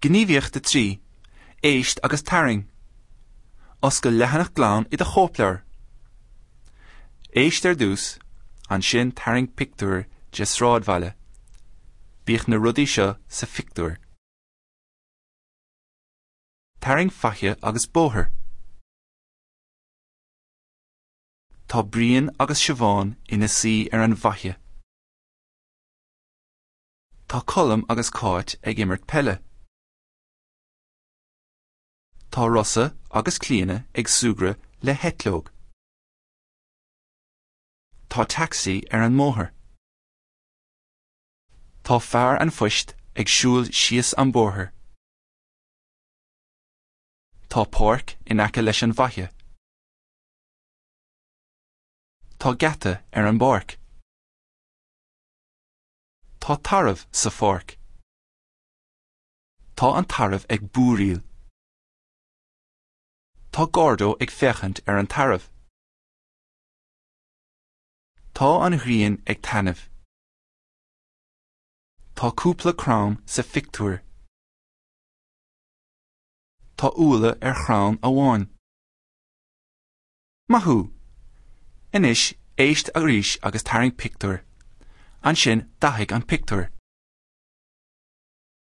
Gníomhaíocht 3, Éist agus Tarraing. Oscail leathanach glan i do chóipleabhar. Éist ar dtús, ansin tarraing pictiúr de shráidbhaile. Bíodh na rudaí seo sa phictiúr. Tarraing faiche agus bóthar. Tá Brian agus Siobhán ina suí ar an bhfaiche. Tá Colm agus Cáit ag imirt peile. Tá Rossa agus Clíona ag súgradh le heitleog. Tá tacsaí ar an mbóthar. Tá fear an phoist ag siúl síos an bóthar. Tá páirc in aice leis an bhfaiche. Tá geata ar an bpáirc. Tá tarbh sa pháirc. Tá an tarbh ag búiríl. Tá Gordo ag féachaint ar an tarbh. Tá an ghrian ag taitneamh. Tá cúpla crann sa phictiúr. Tá úlla ar chrann amháin. Maith thú! Anois, éist arís agus tarraing pictiúr. Ansin, dathaigh an pictiúr.